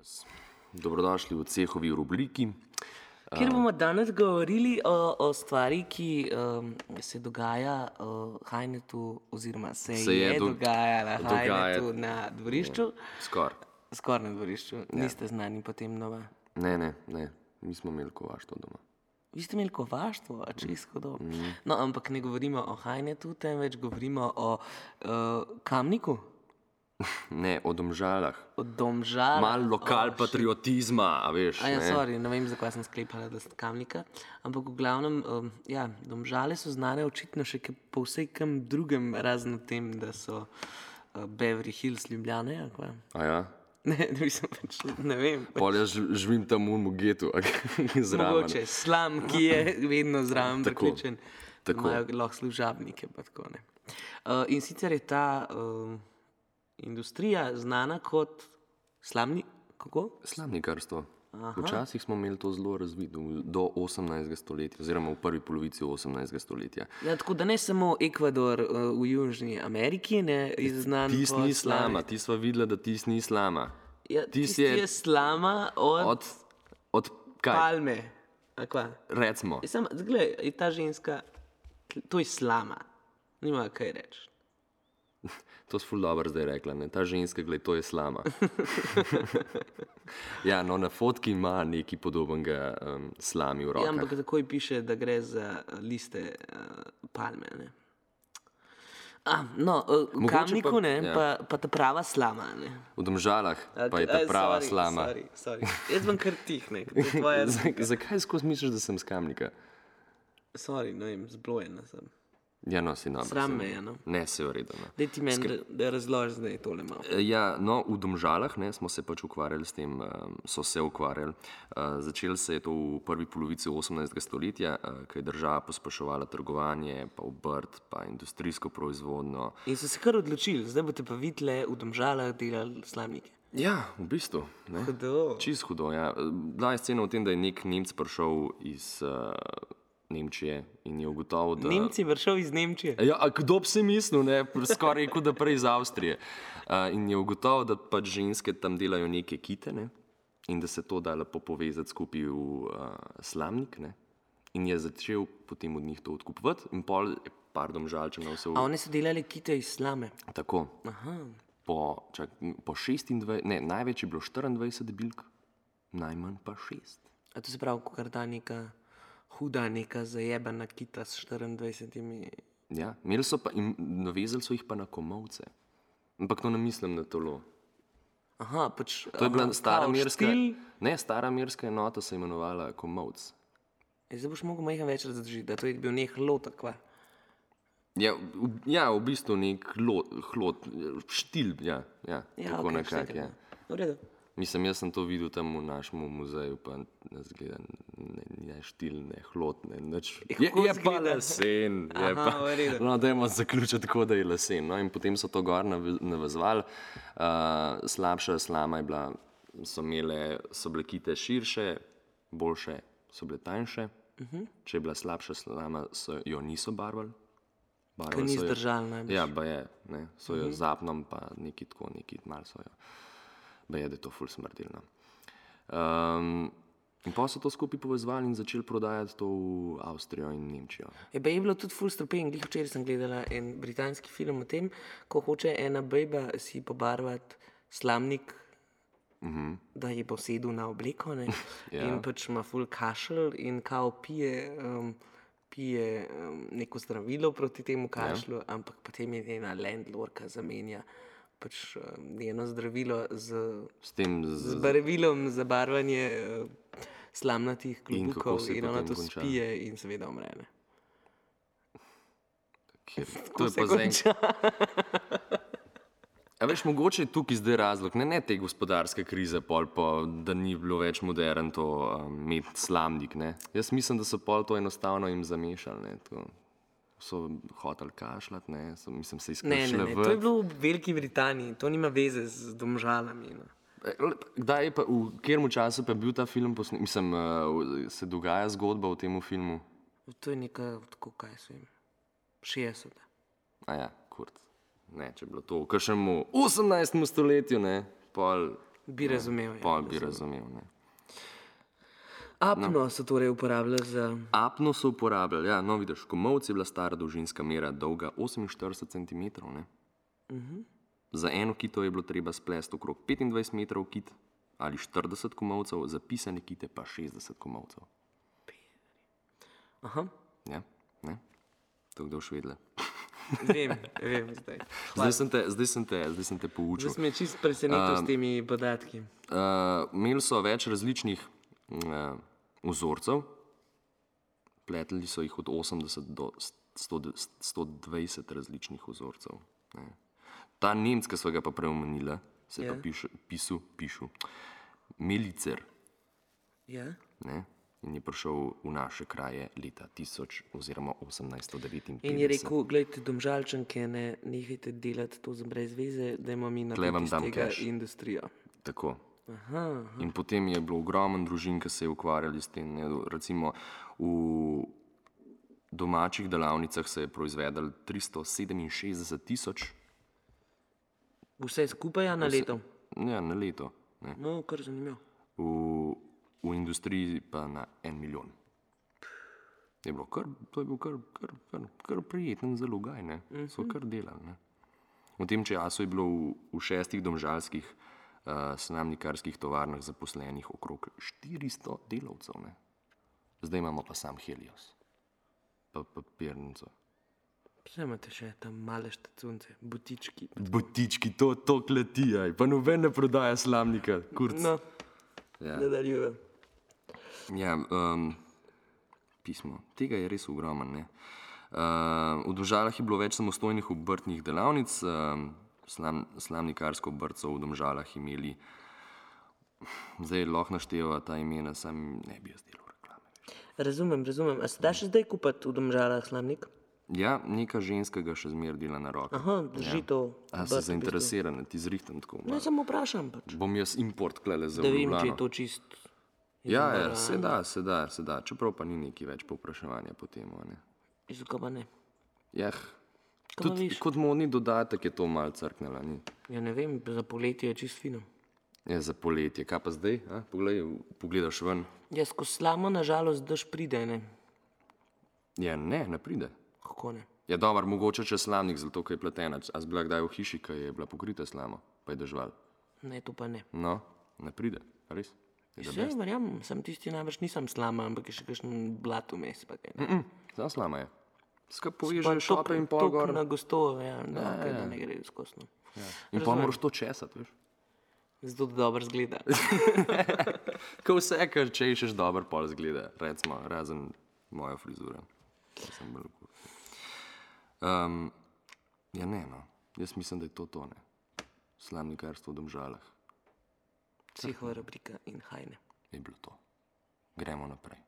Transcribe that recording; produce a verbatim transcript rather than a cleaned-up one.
Živijo. Dobrodošli v Cehovi rubriki. Kjer bomo danes govorili o, o stvari, ki um, se dogaja v Hajnetu, oziroma se, se je, je do, dogajala v Hajnetu na dvorišču. Skoraj. Skoraj na dvorišču. Ja. Niste znani potem nova? Ne, ne, ne. Mi smo imeli kovaštvo doma. Vi ste imeli kovaštvo, a čisto dobro. Mm. No, ampak ne govorimo o Hajnetu, temveč govorimo o uh, Kamniku. Ne, o Domžalah. O Domžalah. Malo lokal oh, patriotizma, a veš. A ja, ne? sorry, ne vem, zakaj sem sklepala, da ste Kamnika. Ampak v glavnem, um, ja, Domžale so znane očitno še po vsej kam drugem, razen tem, da so uh, Beverly Hills Ljubljane, a kva? A ja? Ne, mislim, pač, ne vem. Pol jaz živim tam v Mugetu, zraven. Mogoče, slam, ki je vedno zraven priključen. Tako. Imajo lahko služabnike, pa tako ne. Uh, in sicer je ta uh, industrija znana kot slamni, kako? Slamnikarstvo. Včasih smo imeli to zelo razvito, do osemnajstega stoletja, oziroma v prvi polovici osemnajstega stoletja. Ja, tako da ne samo Ekvador uh, v Južni Ameriki, ne, je znan tis po ni slama, ti sva videla, da tis ni slama. Ja, tis je, je slama od, od, od kaj? Palme. A kva? Recimo. Sam, zgled, je ta ženska, to je slama, nima kaj reči. To si ful dobro zdaj rekla, ne? Ta ženska, gled, to je slama. Ja, no, na fotki ima nekaj podobnega um, slami v rokah. Ja, ampak takoj piše, da gre za liste uh, palme, ne? A, no, uh, v Kamniku, pa, ne, ja. pa, pa ta prava slama, ne? V Domžalah pa okay, je ta prava sorry, slama. Sorry, sorry. Jaz vam kar tihne. Tvoja... Zakaj skozi misliš, da sem z Kamnika? Sorry, no vem, zblojena sem. Ja, no, si dobro. Sram me je, no. Ne, se je v redu, no. Daj ti meni, Skr... da, da razložiš zdaj tole malo. Ja, no, v Domžalah, ne, smo se pač ukvarjali s tem, um, so se ukvarjali. Uh, začelo se je to v prvi polovici osemnajstega stoletja, uh, ko je država pospeševala trgovanje, pa obrt, pa industrijsko proizvodnjo. In so se kar odločili, zdaj boste pa videli v Domžalah delali slamnike. Ja, v bistvu. Ne. Hudo. Čist hudo, ja. Bila je scena v tem, da je nek Nemec prišel iz... Uh, Nemčije in je ugotovil, da... Nemci vršel iz Nemčije? Ja, a kdo bi si mislil, ne? Skoraj rekel, da prej iz Avstrije. Uh, in je ugotovil, da pač ženske tam delajo neke kite, ne? In da se to da lepo povezati skupaj v uh, slamnik, ne? In je začel potem od njih to odkupovati in pol je par Domžalčanov se... V... A oni so delali kite iz slame? Tako. Aha. Po, čak, po šestindvajset... Ne, največ je bilo štiriindvajset bilk, najmanj pa šest. A to se pravi, kar da neka... huda neka zajebana kita s štiriindvajsetimi... Ja, imeli so pa in navezali so jih pa na komolce. Ampak to ne mislim na tolo. Aha, pač... To je bila stara merska... Ne, stara merska enota se imenovala komolc. E, zdaj boš mogel majhen več razložiti, da to je bil nek hlot, kva? Ja, v, ja, v bistvu nek hlot, hlot štil, ja, ja, ja tako okay, nekak, ja. V redu. Mislim, jaz sem to videl tam v našem muzeju, pa ne zgleda, ne, ne štil, ne hlot, ne, neč. Je, je pa lesen, je Aha, pa, no, dajmo zaključiti tako, da je lesen, no, in potem so to gor navezvali, uh, slabša slama je bila, so imele, so bile kite širše, boljše so bile tanjše, uh-huh. Če je bila slabša slama, so jo niso barvali. Ker ni zdržal najbolj. Ja, ba je, ne, so jo uh-huh. zapnom, pa neki tako, neki mal so jo. Ba je, da je to ful smrdilno. Um, in pa so to skupaj povezvali in začeli prodajati to v Avstrijo in Nemčijo. Je ba je bilo tudi ful strupen, glih včeraj sem gledala en britanski film o tem, ko hoče ena bejba si pobarvati slamnik, uh-huh. da je posedel na obleko, ne, ja. In pač ima ful kašelj in kao pije, um, pije um, neko zdravilo proti temu kašlju, ja. Ampak potem je ena landlordka zamenja pač njeno zdravilo z, s tem z, z barvilom za barvanje uh, slamnatih klobukov in, in ona to konča? Spije in seveda umre. To je pa konča? A veš, mogoče je tukaj zdaj razlog, ne, ne te gospodarske krize, pol pa, da ni bilo več modern to um, imeti slamnik, ne. Jaz mislim, da so pol to enostavno jim zamešali, ne, to. So hoteli kašljati, ne, so, mislim, se izkašljati. Ne, ne, ne, to je bilo v Veliki Britaniji, to nima veze z Domžalami. No. Kdaj je pa, v katerem času pa je bil ta film posnet, mislim, se dogaja zgodba v tem filmu? To je neka, tako kaj so jim, šestdeseta. A ja, kurt. Ne, če je bilo to v kakšnemu osemnajstem stoletju, ne, pol Bi razumel. Pol bi razumel. Ne. Apno no. so torej uporabljali za... Apno so uporabljali, ja, no vidiš, komolc je bila stara dolžinska mera, dolga oseminštirideset centimetrov. Ne. Uh-huh. Za eno kito je bilo treba splesti okrog petindvajset metrov kit ali štirideset komolcev, za pisane kite pa šestdeset komolcev. Aha. Ja, ne, to kdo švedle. Vem, vem zdaj. Zdaj sem te, zdaj sem te, zdaj sem te poučil. Zdaj sem me čist presenetil Um, s temi podatki. Uh, imeli so več različnih uh, vzorcev, pletli so jih od osemdeset do sto, sto dvajset različnih vzorcev. Ne. Ta Nemc, ki so ga pa preomenila, se je Ja. pa pišu, pisu, pišu, Melicer, Ja? ne, in je prišel v naše kraje leta tisoč oziroma osemnajststo devetinpetdeset. In je rekel, gledajte, Domžalčanke, ne, nehajte delati to za brez veze, da imamo mi Tle vam narediti iz dam tega cash. industrijo. Tako. Aha, aha. In potem je bilo ogromen družin, ki se je ukvarjali s tem. Ne. Recimo v domačih delavnicah se je proizvedel tristo sedeminšestdeset tisoč. Vse skupaj a na leto? Ja, na leto. Ne. No, kar zanimivo. V, v industriji pa na en milijon. Je bilo kar, to je bil kar, kar, kar, kar prijeten zalogaj, ne. So kar delali. Ne. V tem času je bilo v, v šestih domžalskih uh, slamnikarskih tovarnah zaposlenih okrog štiristo delavcev. Ne. Zdaj imamo pa sam Helios, pa papirnico. Vse imate še tam male štacunce, butički. Butički, to, to kletijaj, pa noben ne prodaja slamnika, kurc. No, Ja. nadaljujem. Ja, um, pismo. Tega je res ogromen. Ne? Uh, v Domžalah je bilo več samostojnih obrtnih delavnic, um, slam, slamnikarsko obrt so v Domžalah imeli, zdaj lahko našteva ta imena, sam ne bi jaz delal reklame. Razumem, razumem. A se da še zdaj kupiti v Domžalah slamnik? Ja, neka ženska ga še zmer dela na roke. Aha, drži to. A obrt si v zainteresiran, ti zrihtam tako. bistvu. Ne, malo. samo vprašam pač. Bom jaz import klele za Da vem, če Ljubljano. je to čist... Ja, ja, se da, se da, se da, čeprav pa ni neki več povpraševanja po tem. Ne. Izukaj pa ne. Jah, Kaj pa tudi veš? kot modni dodatek je to malo crknela. Ni? Ja ne vem, za poletje je čist fino. Je za poletje, kaj pa zdaj? A? Poglej, pogledaš ven. Ja, skozi slamo nažalost dež pride, ne. Ja, ne, ne pride. Kako ne? Ja, dober, mogoče če slamnik, zato ker je pletena. A si bila kdaj v hiši, ki je bila pokrita slamo, pa je dežval? Ne, to pa ne. No, ne pride, res? Je the Vse, best. verjamem, sem tisti najbrž nisem slama, ampak je še kakšen blat vmes. Pa kaj, ne. Mm, Samo slama je. Skaj Pa povežeš tok- šope in pol tok gor. na gosto, ja, no, ja, okay, da ne gre skozi. No. Ja. In pa moraš to česati, veš. Zato da dobro zgleda. Ko vse, kar češeš, dobro pol zgleda, recimo, razen moja frizura. Sem bolj kul. Um, ja, ne, no. Jaz mislim, da je to to, ne. Slamnikarstvo v Domžalah Psihova rubrika in hajne. je bilo to. Gremo naprej.